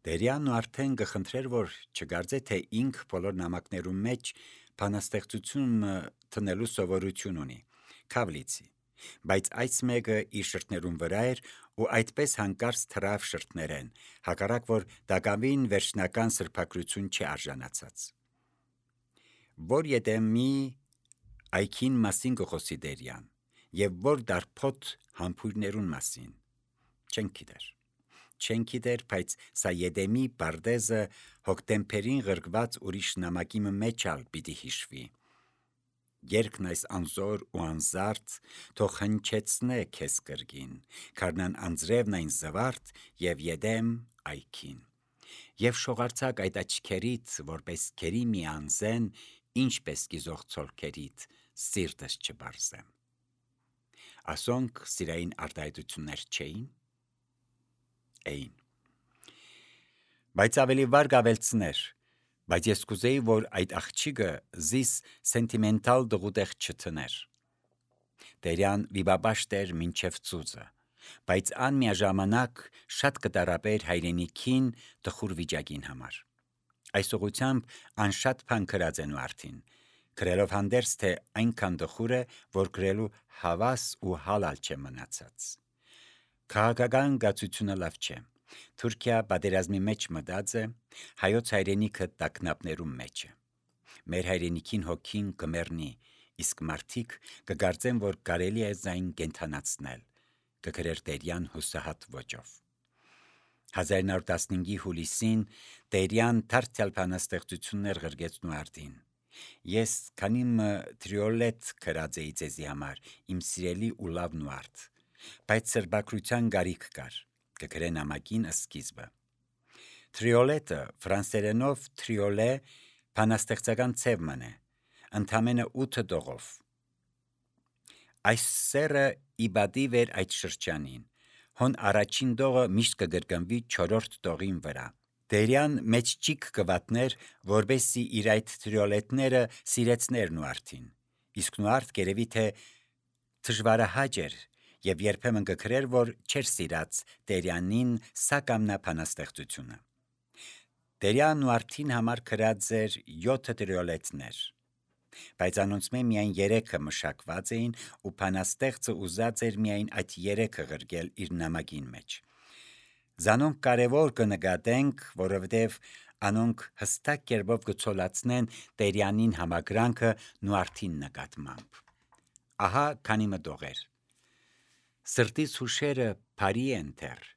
Տերյանն արդեն կխնդրեր, որ չգարձե, թե ինք բոլոր նամակներում մեջ բանաստեղծությունը տնելու սովորություն ունի, քավլիցի, բայց այս մեկը իր շրթներում վրա էր ու այդպես հանկարծ թրավ շրթներեն, հակառակ որ դակավին վերջնական սրբագրություն չարժանացած։ Որ եթե մի այքին մասին կխոսի Տերյան, եւ որ դարփոտ համբույրներուն մասին, չեն գիտեր, բայց սա Եդեմի բարդեզը հոկտեմբերին ղրկված ուրիշ նամակի մեջ ալ պիտի հիշվի։ Երկն այս անզոր ու անզարդ թող հնչեցնե քեզ կրգին, քարնան անձրևն այն զվարթ եւ Եդեմ այքին։ Եվ շողարցակ այդ աչքերիդ, որպես քերի մի անզեն, ինչպես կիզող ցոլքերիդ, սիրտս չբարզեմ։ Ասոնք սիրային արտահայտություններ չէին։ Էին։ Բայց ավելի վար գավելցներ, բայց ես կուզեի, որ այդ աղջիկը զիս սենտիմենտալ դղուտեղ չթներ։ Տերյան վիբաբաշտ էր մինչև ծուծը, բայց ան միաժամանակ շատ կտարապեր հայրենիքին տխուր վիճակին համար։ Այս ուղությամբ ան շատ բան գրած են ու արդին, գրելով հանդերձ, թե այնքան տխուր է, որ գրելու հավաս ու հալալ չէ մնացած։ Քաղաքական գացությունը լավ չէ։ Թուրքիա պատերազմի մեջ մտած է, հայոց հայրենիքը տագնապներում մեջ է։ Մեր հայրենիքին հոգին կմեռնի, իսկ մարդիկ կգարձեն, որ կարելի է զայն կենթանացնել, կգրեր Տերյան հուսահատ ոճով։ 1915-ի հուլիսին Տերյան դարձյալ բանաստեղծություններ գրգեցնու արդին։ Ես քանիմը տրիոլետ գրած էի ձեզի համար, իմ սիրելի ու լավ նուարդ, բայց սրբագրության գարիք կար, կգրե նամակին սկիզբը։ Տրիոլետը ֆրանսերենով տրիոլե բանաստեղծական ցևմն է, ընդամենը 8 տողով։ Այս սերը իբադիվ էր այդ շրջանին, հոն առաջին տողը միշտ կգրգնվի 4-րդ տողին վրա։ Տերյան մեջ ճիք կվատներ, որբեսի իր այդ տրիոլետները սիրեցներ նուարդին, իսկ նուարդ գերևի թե դժվարահաճ էր եւ երբեմն կգրեր, որ չէր սիրած Տերյանին սա կամնա բանաստեղծությունը։ Տերյան նուարդին համար գրած էր 7 տրիոլետներ, բայց անոնց միայն 3-ը մշակված էին ու բանաստեղծը ուզած էր միայն այդ 3-ը գրգել իր նամակին մեջ։ Զանոնք կարևոր կնկատենք, որովհետև անոնք հստակ կերպով կցոլացնեն Տերյանին համակրանքը նուարդին նկատմամբ։ Ահա քանի մտողեր։ Սրտիս հուշերը բարի են թեր,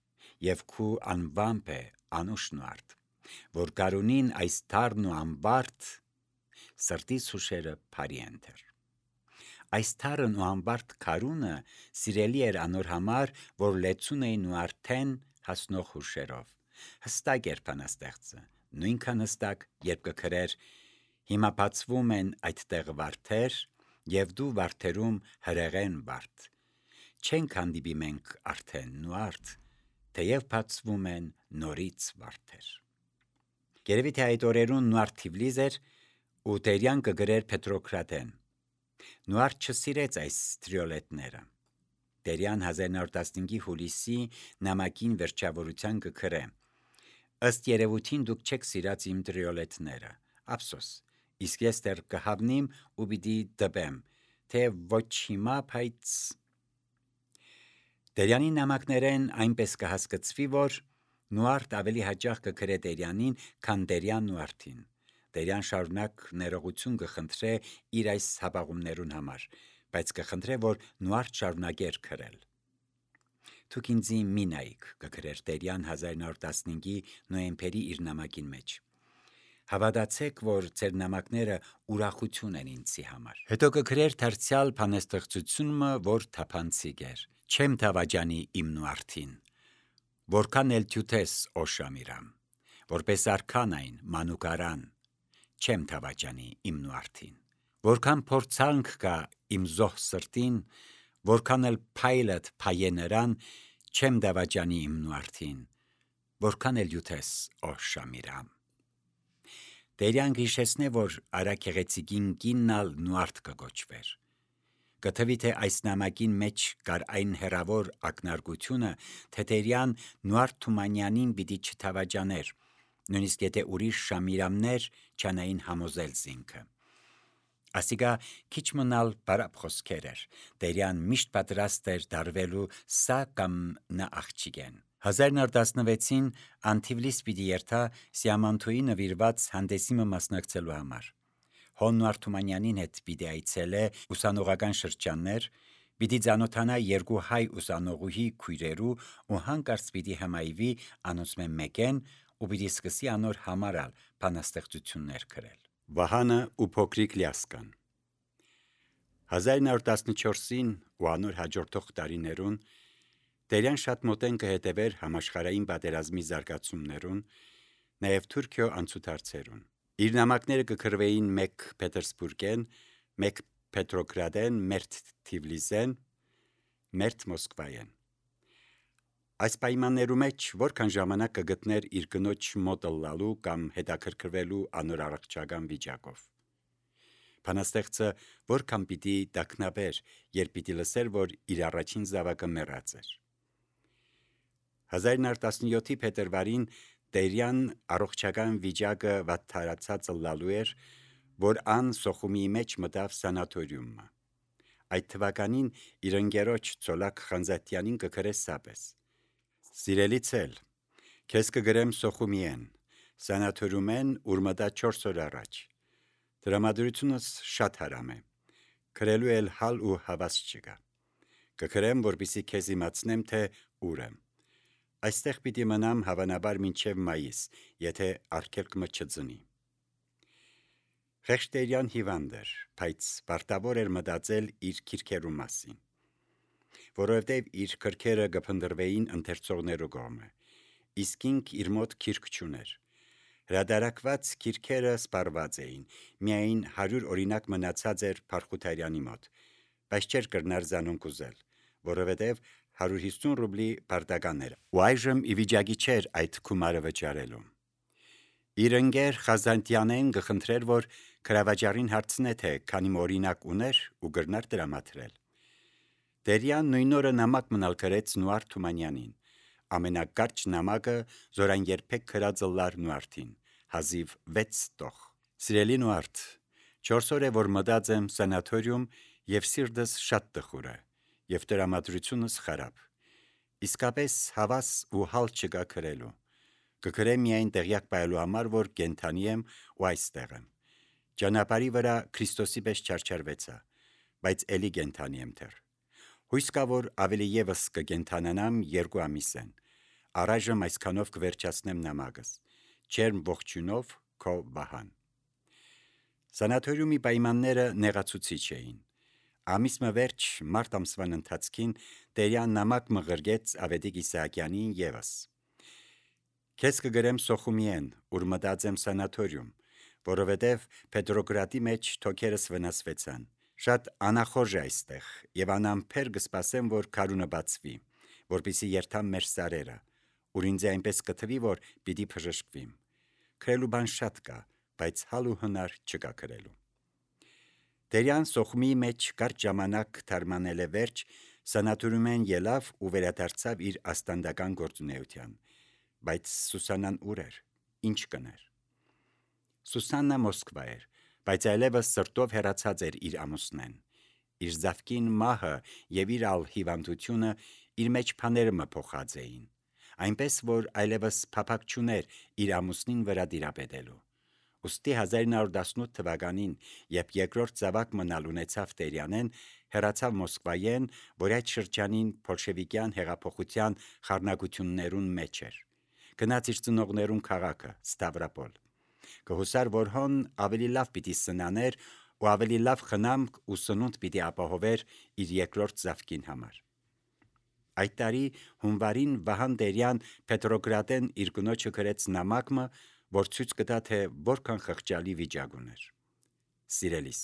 եւ քու անվամբ է անուշ նուարդ, որ կարունին այս թարն ու ամբարդ, սրտիս հուշերը բարի են թեր։ Այս թարն ու ամբարդ կարունը սիրելի էր անոր համար, որ լեցուն էին ու արդեն հասնող հուշերով։ Հստակ էր բանաստեղծը, նույնքան հստակ, երբ կգրեր հիմա բացվում են այդտեղ վարդեր, եւ դու վարդերում հրեղեն վարդ։ Չենք հանդիպի մենք արդեն նուարդ, թեև բացվում են նորից վարդեր։ Գերևի թե այդ օրերուն նուարդ Թիֆլիս էր ու Տերյան կգրեր Պետրոգրադեն։ Նուարդ չսիրեց այս տրիոլետները։ Տերյան 1915-ի հուլիսի նամակին վերջավորության կգրե. Ըստ երևույթին դուք չեք սիրած իմ տրիոլետները, ափսոս, իսկ ես դեռ կհավնիմ ու պիտի դպեմ, թե ոչ հիմա, բայց Տերյանի նամակներեն այնպես կհասկացվի, որ նուարդ ավելի հաճախ կգրե Տերյանին, քան Տերյան նուարդին։ Տերյան շարունակ ներողություն կխնդրե իր այս հապաղումներուն համար, բայց կխնդրե, որ նուարդ շարունակեր գրել։ Դուք ինձի մի նայք, կգրեր Տերյան 1915-ի նոյեմբերի իր նամակին մեջ։ Հավատացեք, որ ձեր նամակները ուրախություն են ինձի համար։ Հետո կգրեր դարձյալ բանաստեղծությունը, որ թափանցիկ էր։ Չեմ դավաճանի իմ նուարդին, որքան էլ թյութես օշամիրամ, որպես արքան այն մանուկարան, չեմ դավաճանի իմ նուարդին, որքան փորձանք կա իմ զոհ սրտին, որքան էլ փայլդ փայե նրան, չեմ դավաճանի իմ նուարդին, որքան էլ յութես օշամիրամ։ Տերյան գիշեցնե, որ արաքեղեցիկին կիննալ նուարդ կգոչվեր։ Կթվի թե այս նամակին մեջ կար այն հերավոր ակնարկությունը, թե Տերյան Նուար Թումանյանին պիտի չթավաճաներ, նույնիսկ եթե ուրիշ շամիրամներ չանային համոզել զինքը։ Ասիկա քիչ մնալ բարապ խոսքեր էր, Տերյան միշտ պատրաստ էր դարվելու սա կամ նա աղջիկեն։ 1916-ին Անտիվլիս պիտի երթա Սիամանթոյի նվիրված հանդեսիմը մասնակցելու համար։ Հոն Նուար Թումանյանին հետ պիտի այցելե ուսանողական շրջաններ, պիտի ծանոթանա երկու հայ ուսանողուհի քույրերու ու հանկարծ պիտի հմայվի անոնցմե մեկեն ու պիտի սկսի անոր համարալ բանաստեղծություններ գրել։ Վահանը ու փոքրիկ Լյասկան 1914-ին ու անոր հաջորդող տարիներուն Տերյան շատ մոտեն կհետևեր համաշխարհային պատերազմի զարգացումներուն, նաև Թուրքիո անցուդարձերուն։ Իր նամակները կգրվեին մեկ Պետերսբուրգեն, մեկ Պետրոգրադեն, մերթ Թիվլիսեն, մերթ Մոսկվայեն։ Այս պայմաններու մեջ որքան ժամանակ կգտներ իր կնոջ մոտ ըլլալու կամ հետաքրքրվելու անոր առողջական վիճակով։ Բանաստեղծը որքան պիտի տագնաբեր, երբ պիտի լսեր, որ իր առաջին զավակը մեռած էր։ 1917-ի փետրվարին Տերյան առողջական վիճակը վատթարացած ըլլալու էր, որ ան Սոխումի մեջ մտավ սանատորիումը։ Այդ թվականին իր ընկերոջ Ցոլակ Խանզատյանին կգրե սապես. Սիրելի ցել, քեզ կգրեմ Սոխումիեն, սանատորիումեն ուր մտա 4 օր առաջ։ Դրամատրությունս շատ հարամ է, գրելու էլ հալ ու հավաս չկա։ Կգրեմ, որպեսզի քեզ իմացնեմ, թե ուր եմ։ Այստեղ պիտի մնամ հավանաբար մինչև մայիս, եթե արգելքը չձնի։ Խեղճ Տերյան հիվանդ էր, բայց պարտավոր էր մտածել իր քիրքերու մասին, որովհետև իր քրքերը կփնտրվեին ընթերցողներու կողմը, իսկ ինք իր մոտ քիրք չուներ։ Հրադարակված քիրքերը սպառված էին, միայն 100 օրինակ մնացած էր Փարխութարյանի մոտ, բայց չէր կրնար զանոնք ուզել, որովհետև 150 ռուբլի պարտական էր, ու այժմ ի վիճակի չէր այդ գումարը վճարելու։ Իր ընկեր Խազանտյանեն կխնդրեր, որ քրավաճարին հարցնե, թե քանի օրինակ ուներ ու գրնար դրամատրել։ Տերյան նույն օրը նամակ մնալ գրեց Նուար Թումանյանին, ամենակարճ նամակը, զորան երբեք գրած ըլլար Նուարդին, հազիվ 6 տող։ Սիրելի Նուարդ, 4 օր է, որ մտած եմ սանատորիում եւ սիրտս շատ տխուր է, եւ տրամադրությունս խարապ։ Իսկապես հավաս ու հալ չկա գրելու։ Կգրեմ միայն տեղյակ պահելու համար, որ կենթանի եմ ու այստեղ եմ։ Ճանապարհի վրա Քրիստոսի պես չարչարվեցա, բայց էլի կենթանի եմ դեռ։ Հույս կա, որ ավելի եւս կկենթանանամ 2 ամիսեն։ Առայժմ այսքանով կվերջացնեմ նամակս։ Չերմ ողջունով քո Վահան։ Սանատորիումի պայմանները նեղացուցիչ էին։ Ամիսը վերջ մարտ ամսվան ընթացքին Տերյան նամակ մղրգեց Ավետիք Իսահակյանին եւս։ Քեզ կգրեմ Սոխումիեն, ուր մտած եմ սանատորիում, որովհետև Պետրոգրադի մեջ թոքերս վնասվեցան։ Շատ անախորժ է այստեղ, եւ անամփեր կսպասեմ, որ քարունը բացվի, որպեսզի երթամ մեր սարերը, ուր ինձ այնպես կթվի, որ պիտի բժշկվիմ։ Գրելու բան շատ կա, բայց հալ ու հնար չկա գրելու։ Տերյան Սոխումի մեջ կարճ ժամանակ թարմանել է վերջ, սանատորիումեն ելավ ու վերադարձավ իր աստանդական գործունեության, բայց Սուսանան ուր էր, ինչ կներ։ Սուսաննա Մոսկվա էր, բայց այլևս սրտով հեռացած էր իր ամուսնեն։ Իր զավկին մահը եւ իր ալ հիվանդությունը իր մեջ բաները մփոխած էին, այնպես որ այլևս փափակ չուներ իր ամուսնին վրա դիրապետելու։ Ոստի 1918 թվականին, երբ երկրորդ զավակ մնալ ունեցավ Տերյանեն, հեռացավ Մոսկվայեն, որ այդ շրջանին բոլշևիկյան հեղափոխության խառնակություններուն մեջ էր։ Գնաց իր ծնողներուն քաղաքը Ստավրոպոլ։ Կհուսար, որ հոն ավելի լավ պիտի սնաներ ու ավելի լավ խնամք ու սնունդ պիտի ապահովեր իր երկրորդ զավկին համար։ Այդ տարի հունվարին Վահան Տերյան Պետրոգրադեն իր կնոջը գրեց նամակը, որ ցույց կտա, թե որքան խղճալի վիճակ ուներ։ Սիրելիս,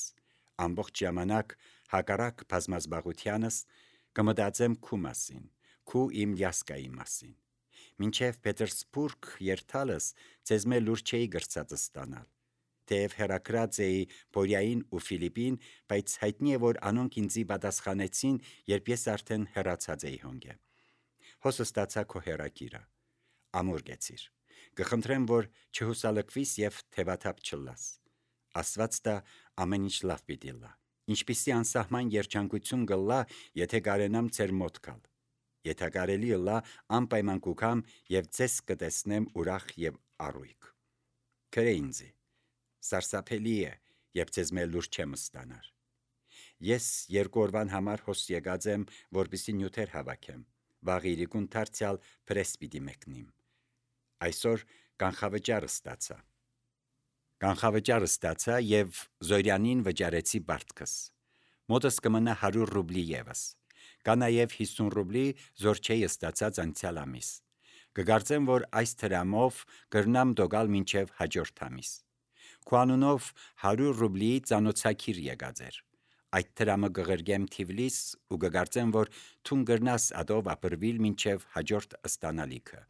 ամբողջ ժամանակ հակառակ բազմազբաղությանս կմտածեմ քու մասին, քու իմ Լյասկայի մասին։ Մինչև Պետերսբուրգ երթալս ձեզ մե լուր չէի գրծածը ստանալ, թեև հերակրած էի Բորյային ու Ֆիլիպին, բայց հայտնի է, որ անոնք ինձի պատասխանեցին, երբ ես արդեն հեռացած էի հոնգե։ Հոսը ստացա քո հերակիրը, ամուր գեցիր, կխնդրեմ, որ չհուսալքվիս և թևաթափ չլաս, Աստված տա ամեն ինչ լավ պիտի լա, ինչպիսի անսահման երջանկություն գլա, եթե կարենամ ձեր մոտ գալ, եթե կարելի լա անպայման կուքամ և ձեզ կտեսնեմ ուրախ և առույգ։ Քրե ինձի, սարսափելի է, երբ ձեզ մեր լուր չեմ ստանար։ Ես 2 օրվան համար հոս եկած եմ, որպեսզի նյութեր հավաքեմ, վաղ իրիկուն դարձյալ պրես պիտի մեկնիմ։ Այսօր կանխավճարը ստացա և Զորյանին վճարեցի բարտքս։ Մոտս կմնա 100 ռուբլի ևս։ Կա նաև 50 ռուբլի Զորչեի ստացած անցյալ ամիս։ Կգարձեմ, որ այս թրամով կրնամ դոգալ մինչև հաջորդ ամիս։ Քո անունով 100 ռուբլի ծանոթացիր եկած էր։ Այդ թրամը կղրգեմ Թիվլիս ու կգարձեմ, որ թուն կրնաս ադով ապրվիլ մինչև հաջորդ ըստանալիքը։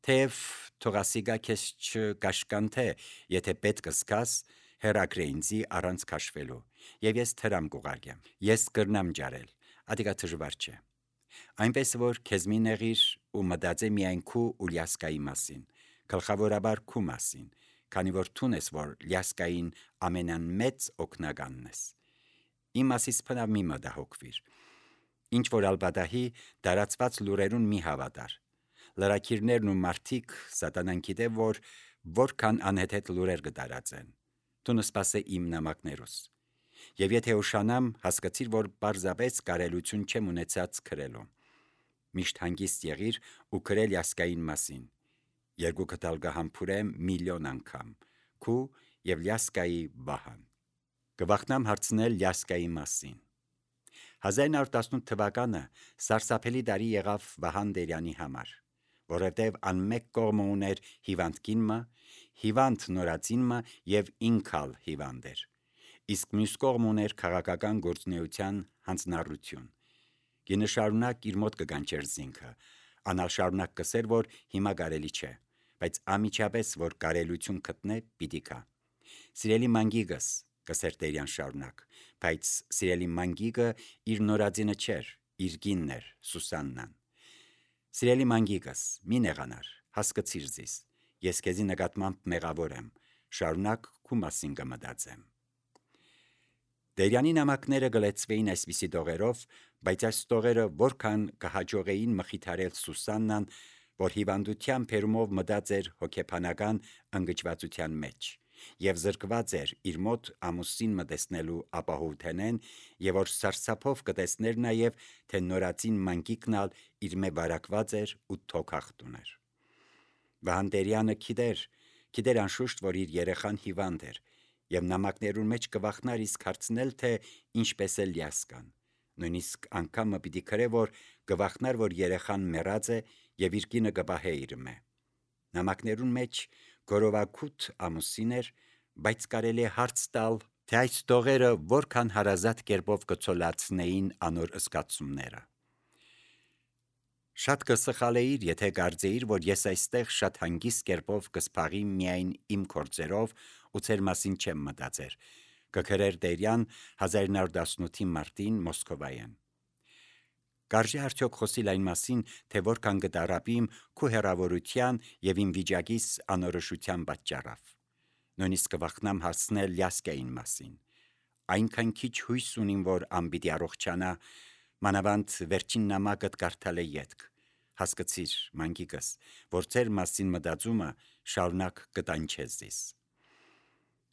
Թեև թողասիգա քեզ չկաշկանթե, եթե պետք զգաս, հերակրե ինձի առանց քաշվելու, և ես թրամ կուղարկեմ։ Ես կրնամ ջարել, ադիկա դժվար չէ։ Այնպես որ քեզ մի նեղիր ու մտածե միայն քու ու Լյասկայի մասին, գլխավորաբար քու մասին, քանի որ թուն ես, որ Լյասկային ամենամեծ օգնականն ես։ Իմ մասից փնավ մի մտահոգվիր։ Ինչ որ ալբադահի դարածված լուրերուն մի հավատար։ Լրակիրներն ու մարդիկ սատանան գիտե, որ որքան անհեթեթ լուրեր կդարածեն։ Դու սպասե իմ նամակներուս։ Եվ եթե ուշանամ, հասկացիր, որ պարզապես կարելություն չեմ ունեցած քրելու։ Միշտ հանգիստ եղիր ու քրել Լյասկային մասին։ Երկու կտալ կհամբուրեմ միլիոն անգամ, քու և Լյասկայի վահան։ Կվախնամ հարցնել Լյասկայի մասին։ 1918 թվականը սարսափելի տարի եղավ Վահան Տերյանի համար, որովհետև անմեկ կողմը ուներ հիվանդ կինը, հիվանդ նորածինը և ինքալ հիվանդ էր, իսկ մյուս կողմը ուներ քաղաքական գործունեության հանձնառություն։ Կինը շարունակ իր մոտ կգանչեր զինքը, անալ շարունակ կսեր, որ հիմա կարելի չէ, բայց ամիջապես, որ կարելություն գտնե, պիտի գա։ Սիրելի մանգիկս, կսեր Տերյան շարունակ, բայց սիրելի մանգիկը իր նորածինը չէր, իր կինն էր, Սուսաննան։ Սիրելի մանգիկս, մի նեղանար, հասկացիր զիս, ես քեզի նկատմամբ մեղավոր եմ, շարունակ քու մասին կմտածեմ։ Տերյանի նամակները գլեցվեին այսպիսի տողերով, բայց այս տողերը որքան կհաջողեին մխիթարել Սուսաննան, որ հիվանդության բերումով մտած էր հոգեբանական ընկճվածության մեջ, և զրկված էր իր մոտ ամուսին մտեսնելու ապահովութենեն, և որ սարսափով կտեսներ նաև, թե նորածին մանկիկնալ իր մե վարակված էր ու թոքախտ ուներ։ Վահան Տերյանը գիտեր անշուշտ, որ իր երեխան հիվանդ էր, և նամակներուն մեջ կվախնար իսկ հարցնել, թե ինչպես է Լյասկան։ Նույնիսկ անգամը պիտի քրե, որ կվախնար, որ երեխան մեռած է և իր կինը կպահե իր մե։ Նամակներուն մեջ գորովագութ ամուսին էր, բայց կարելի է հարց տալ, թե այս տողերը որքան հարազատ կերպով կցոլացնեին անոր զգացումները։ Շատ կսխալեիր, եթե կարծեիր, որ ես այստեղ շատ հանգիստ կերպով կսփաղիմ միայն իմ գործերով ու ձեր մասին չեմ մտածեր, կգրեր Տերյան 1918-ի մարտին Մոսկովայեն։ Կարժե արդյոք խոսիլ այն մասին, թե որքան կտարապիմ քու հեռավորության և իմ վիճակիս անորոշության պատճառով։ Նույնիսկ կվախնամ հասնել Լյասկային մասին։ Այնքան քիչ հույս ունիմ, որ անպիտի առողջանա, մանավանդ վերջին նամակդ կարդալ է ետք։ Հասկացիր, մանկիկս, որ ձեր մասին մտածումը շարունակ կտանչե զիս։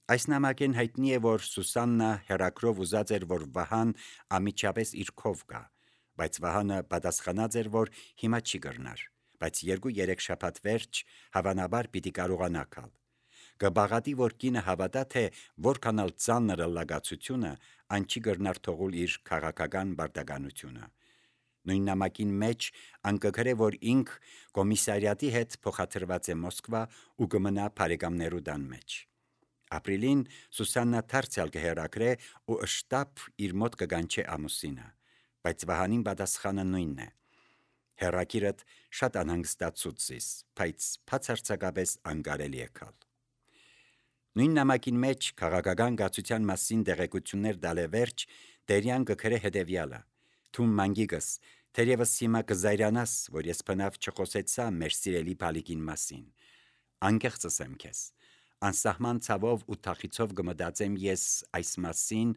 Այս նամակեն հայտնի է, որ Սուսաննա հերակրով ուզած էր, որ Վահան ամիջապես իր քով գա, բայց Վահանը պատասխանած էր, որ հիմա չի կրնար, բայց 2-3 շաբաթ վերջ հավանաբար պիտի կարողանա գալ։ Կբաղատի, որ կինը հավատա, թե որքանալ ծանր լագացությունը այն չի կրնար թողուլ իր քաղաքական բարդականությունը։ Նույն նամակին մեջ անկգրե, որ ինք կոմիսարիատի հետ փոխադրված է Մոսկվա ու կմնա բարեկամներու տան մեջ։ Ապրիլին Սուսաննա դարձյալ կհերակրե ու շտապ իր մոտ կգանչե ամուսինը, բայց Վահանին պատասխանը նույնն է։ Հերակիրդ շատ անհանգստացուցիս, բայց բացարձակապես անկարելի է գալ։ Նույն նամակին մեջ քաղաքական գացության մասին դեղեցություններ դալևերջ Տերյան գկրե հետևյալը. «Թուն մանգիգս, թերևս հիմա կզայրանաս, որ ես բնավ չխոսեցա մեր սիրելի բալիկին մասին։ Անկեղծս եմ քեզ, անսահման ցավով ու թախիցով կմտածեմ ես այս մասին,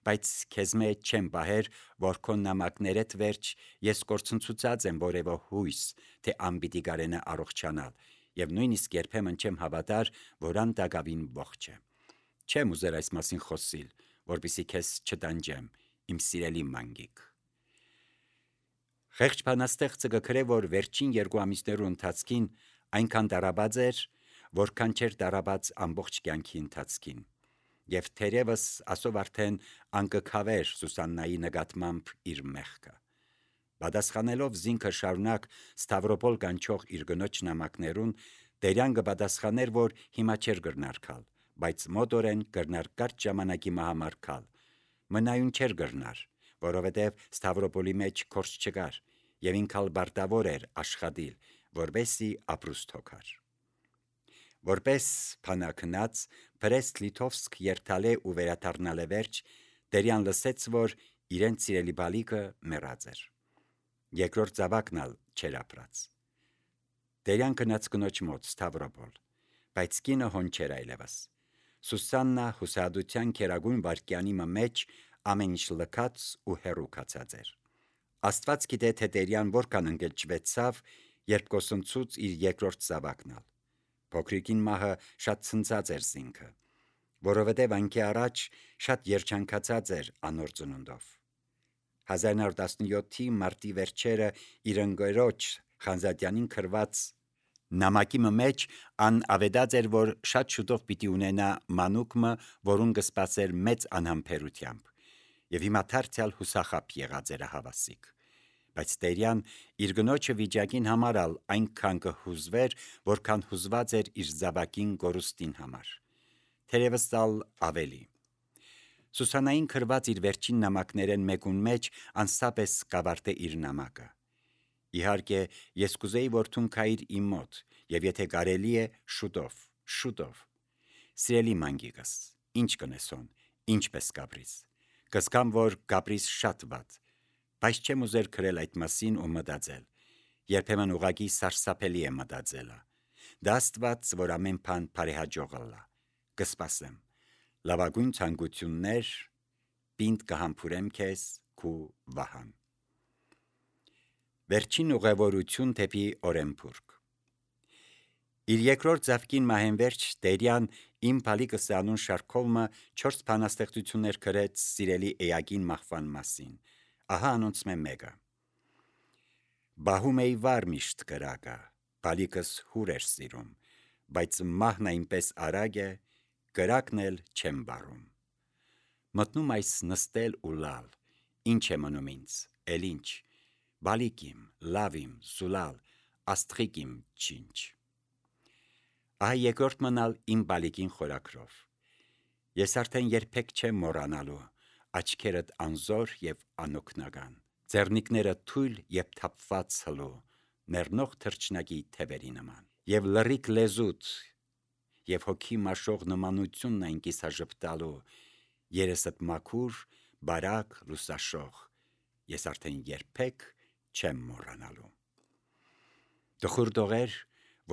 բայց քեզ մեջ չեմ բահեր, որ քո նամակներդ վերջ ես կորցնցուցած եմ որևէ հույս, թե անպիտի կարենա առողջանալ, եւ նույնիսկ երբեմն չեմ հավատար, որ ան դակավին ողջ է։ Չեմ ուզեր այս մասին խոսիլ, որպեսզի քեզ չտանջեմ, իմ սիրելի մանգիկ»։ Խեղճ բանաստեղծը գկրե, որ վերջին 2 ամիսներու ընթացքին այնքան դարաբած էր, որքան չէր դարաբած ամբողջ կյանքի ընթացքին, եւ թերևս ասով արդեն անկքավեր Սուսաննայի նկատմամբ իր մեղքը։ Պատասխանելով զինքը շարունակ Ստավրոպոլ կանչող իր գնոջ նամակներուն, Տերյան կպատասխաներ, որ հիմա չէր գրնարկալ, բայց մոտորեն գրնար կարճ ժամանակի համար կալ։ Մնայուն չէր գրնար, որովհետև Ստավրոպոլի մեջ քորս չկար, եւ ինքալ բարտավոր էր աշխատիլ, որբեսի ապրուստ հոգար։ Որպես փանակնած Բրեստ Լիտովսկ երթալե ու վերադառնալե վերջ, Տերյան լսեց, որ իրեն սիրելի բալիկը մեռած էր։ Երկրորդ զավակնալ չէր ապրած։ Տերյան գնաց կնոջ մոտ Ստավրոպոլ, բայց կինը հոն չէր այլևս։ Սուսաննա հուսահատության քերագույն վարկյանի մեջ ամեն ինչ լքած ու հեռու կացած էր։ Աստված գիտե, թե Տերյան որքան ընկճվեցավ, երբ կոսնցուց իր երկրորդ զավակնալ։ Փոքրիկին մահը շատ ցնծած էր զինքը, որովհետև անքի առաջ շատ երջանկացած էր անոր ծնունդով։ 1917-ի մարտի վերջերը իր ընկերոջ Խանզադյանին գրված նամակի մեջ ան ավետած էր, որ շատ շուտով պիտի ունենա մանուկը, որուն կսպասեր մեծ անհամբերությամբ, եւ հիմա դարձյալ հուսախապ եղած էր հավասիկ։ Բայց Տերյան իր գնոջը վիճակին համարալ այնքան կհուզվեր, որքան հուզված էր իր զավակին գորուստին համար։ Թերևս ալ ավելի։ Սուսանային գրված իր վերջին նամակներեն մեկուն մեջ անսապես կավարտե իր նամակը։ Իհարկե, ես կուզեի, որ թուն քայր իմ մոտ, եւ եթե կարելի է, շուտով։ Սիրելի մանգիկս, ինչ կնեսոն, ինչպես կապրիս։ Կսկամ, որ կապրիս շատ վատ, բայց չեմ ուզեր գրել այդ մասին ու մտածել։ Երբեմն ուղղակի սարսափելի է մտածելը։ Դա Աստված, որ ամեն բան բարեհաջող ըլլա։ Կսպասեմ։ Լավագույն ցանկություններ, պինդ կհամբուրեմ քեզ, քու Վահան։ Վերջին ուղևորություն դեպի Օրենբուրգ։ Իր երկրորդ զավկին մահեն վերջ Տերյան իմ բալիկս անուն շարքովը 4 բանաստեղծություններ գրեց սիրելի էակին մահվան մասին։ Ահա անոնց մեկը։ Բահում էի վար միշտ կրակը, բալիկս հուր էր սիրում, բայց մահն այնպես արագ է, կրակն էլ չեմ բարում։ Մտնում այս նստել ու լալ, ինչ է մնում ինձ, էլ ինչ, բալիկ իմ, լավ իմ, զուլալ, աստղիկ իմ չինչ։ Ահա երկրորդ մնալ իմ բալիկին խորակրով։ Ես արդեն երբեք չեմ մոռանալու, աչքերդ անզոր եւ անօգնական, ձեռնիկները թույլ եւ թափված հլու, մեռնող թռչնակի թևերի նման, եւ լռիկ լեզուտ, եւ հոգի մաշող նմանությունն այն կիսաժպտալու, երեսդ մաքուր, բարակ, լուսաշող, ես արդեն երբեք չեմ մոռանալու։ Տխուր տողեր,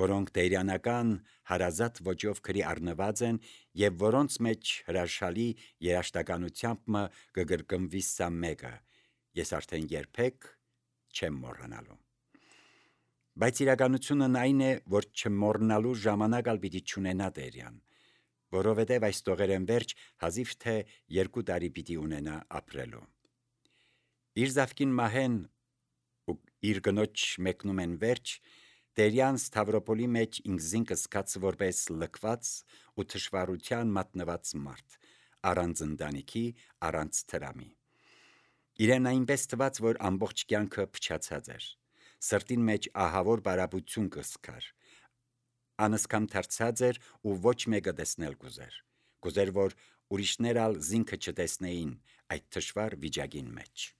որոնք տերյանական հարազատ ոճով գրի առնված են եւ որոնց մեջ հրաշալի երաշտականությամբ կգրկնվի սա մեկը, ես արդեն երբեք չեմ մոռանալու։ Բայց իրականությունն այն է, որ չմոռնալու ժամանակ ալ պիտի չունենա Տերյան, որովհետև այս տողերեն վերջ հազիվ թե 2 տարի պիտի ունենա ապրելու։ Իր զավկին մահեն ու իր գնոջ մեկնում են վերջ, Տերյան Ստավրոպոլի մեջ ինքզին կսկաց որպես լքված ու թշվառության մատնված մարդ, առանց ընտանիքի, առանց թրամի։ Իրեն այնպես թված, որ ամբողջ կյանքը փչացած էր, սրտին մեջ ահավոր բարապություն կսկար, անըսկամ դարձած էր ու ոչ մեկը տեսնել կուզեր, որ ուրիշներ ալ զինքը չտեսնեին այդ թշվառ վիճակին մեջ։